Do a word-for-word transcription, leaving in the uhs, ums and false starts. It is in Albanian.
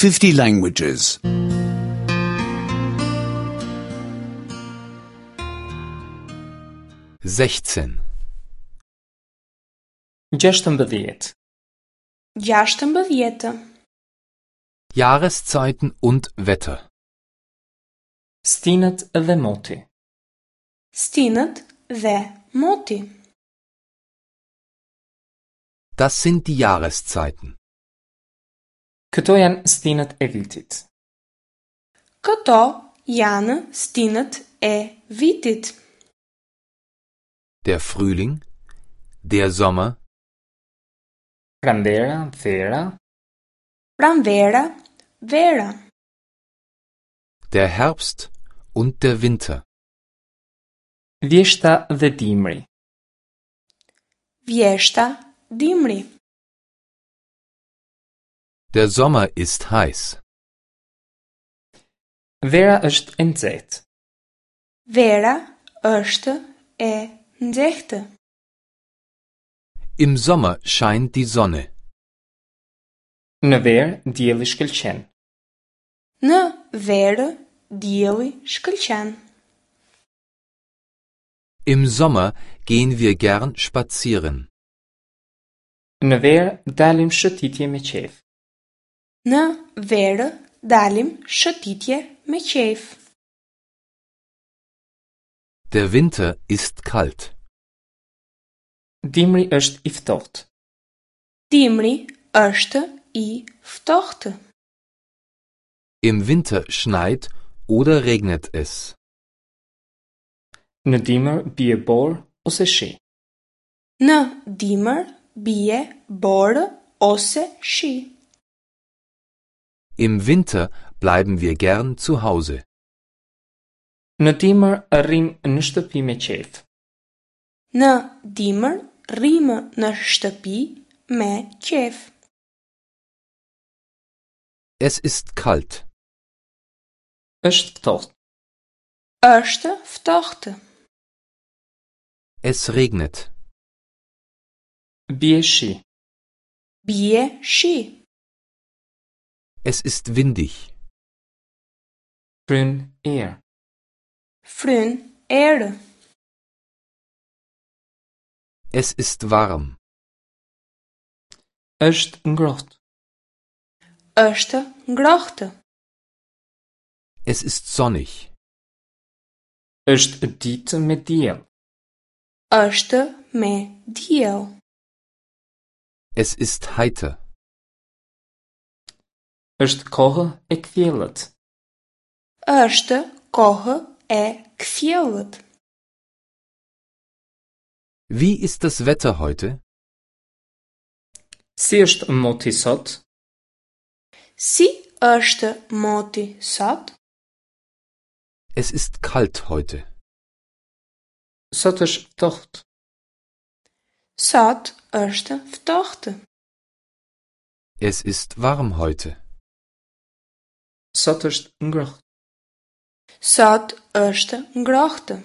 fifty languages. sechzehn. Gjashtëmbëdhjetë. Gjashtëmbëdhjetë. Jahreszeiten und Wetter. Stinët dhe moti. Stinët dhe moti. Das sind die Jahreszeiten. Këto janë stinët e vitit. Këto janë stinët e vitit. Der Frühling, der Sommer, Pranvera, vera, Pranvera, vera. der Herbst und der Winter. Vjeshta dhe dimri. Vjeshta, dimri. Der Sommer ist heiß. Vera është e nxehtë. Vera është e nxehtë. Im Sommer scheint die Sonne. Në verë dielli shkëlqen. Në verë dielli shkëlqen. Im Sommer gehen wir gern spazieren. Në verë dalim shëtitje me qejf. Në verë dalim shëtitje me qejf. Der Winter ist kalt. Dimri është i ftohtë. Dimri është i ftohtë. Im Winter schneit oder regnet es. Në dimër bie borë ose shi. Në dimër bie borë ose shi. Im Winter bleiben wir gern zu Hause. Në dimër rrim në shtëpi me qejf. Në dimër rrimë në shtëpi me qejf. Es ist kalt. Është ftohtë. Është ftohtë. Es regnet. Bie shi. Bie shi. Es ist windig. Fryn erë. Fryn erë. Es ist warm. Është ngrohtë. Është ngrohtë. Es ist sonnig. Është ditë me diell. Është me diell. Es ist heiter. Është kohë e kthjellët. Është kohë e kthjellët. Wie ist das Wetter heute? Si është moti sot? Si është moti sot? Es ist kalt heute. Sot është ftohtë. Sot është ftohtë. Es ist warm heute. Sot është ngrohtë. Sot është ngrohtë.